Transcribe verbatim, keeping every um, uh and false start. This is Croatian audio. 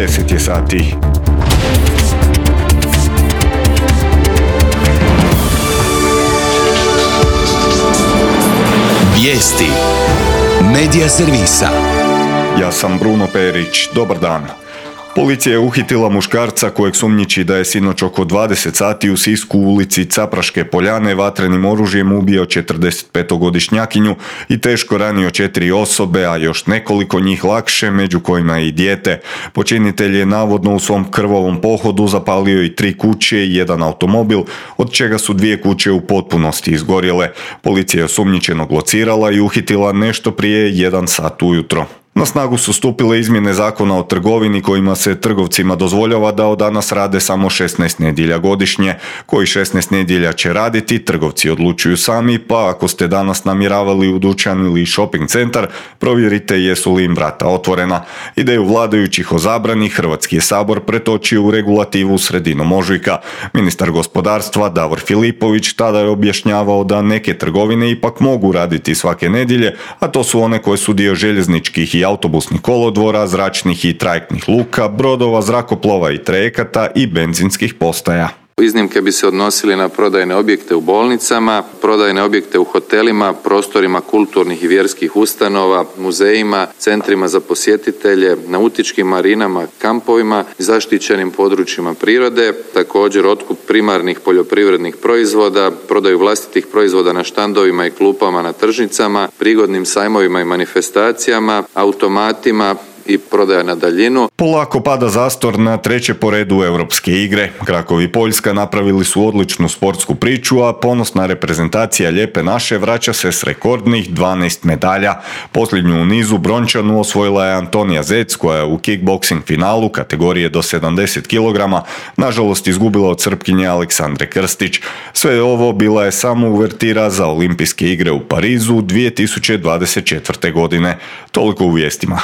deset je sati. Vijesti Medija servisa. Ja sam Bruno Perić, dobar dan. Policija je uhitila muškarca kojeg sumnjiči da je sinoć oko dvadeset sati u Sisku u ulici Capraške Poljane vatrenim oružjem ubio četrdesetpetogodišnjakinju i teško ranio četiri osobe, a još nekoliko njih lakše, među kojima i dijete. Počinitelj je navodno u svom krvavom pohodu zapalio i tri kuće i jedan automobil, od čega su dvije kuće u potpunosti izgorjele. Policija je osumnjičenog locirala i uhitila nešto prije jedan sat ujutro. Na snagu su stupile izmjene zakona o trgovini kojima se trgovcima dozvoljava da od danas rade samo šesnaest nedjelja godišnje. Koji šesnaest nedjelja će raditi, trgovci odlučuju sami, pa ako ste danas namjeravali u dućan ili shopping centar, provjerite jesu li im vrata otvorena. Ideju vladajućih o zabrani Hrvatski je sabor pretočio u regulativu sredinom ožujka. Ministar gospodarstva Davor Filipović tada je objašnjavao da neke trgovine ipak mogu raditi svake nedjelje, a to su one koje su dio željezničkih i autobusnih kolodvora, zračnih i trajektnih luka, brodova, zrakoplova i trajekata i benzinskih postaja. Iznimke bi se odnosili na prodajne objekte u bolnicama, prodajne objekte u hotelima, prostorima kulturnih i vjerskih ustanova, muzejima, centrima za posjetitelje, nautičkim marinama, kampovima, zaštićenim područjima prirode, također otkup primarnih poljoprivrednih proizvoda, prodaju vlastitih proizvoda na štandovima i klupama na tržnicama, prigodnim sajmovima i manifestacijama, automatima i prodaja na daljinu. Polako pada zastor na treće po redu europske igre. Krakow i Poljska napravili su odličnu sportsku priču, a ponosna reprezentacija Lijepe naše vraća se s rekordnih dvanaest medalja. Posljednju u nizu brončanu osvojila je Antonija Zec, koja je u kickboksing finalu kategorije do sedamdeset kilograma nažalost izgubila od Srpkinje Aleksandre Krstić. Sve ovo bila je samo uvertira za olimpijske igre u Parizu dvije tisuće dvadeset četvrte. godine. Toliko u vijestima.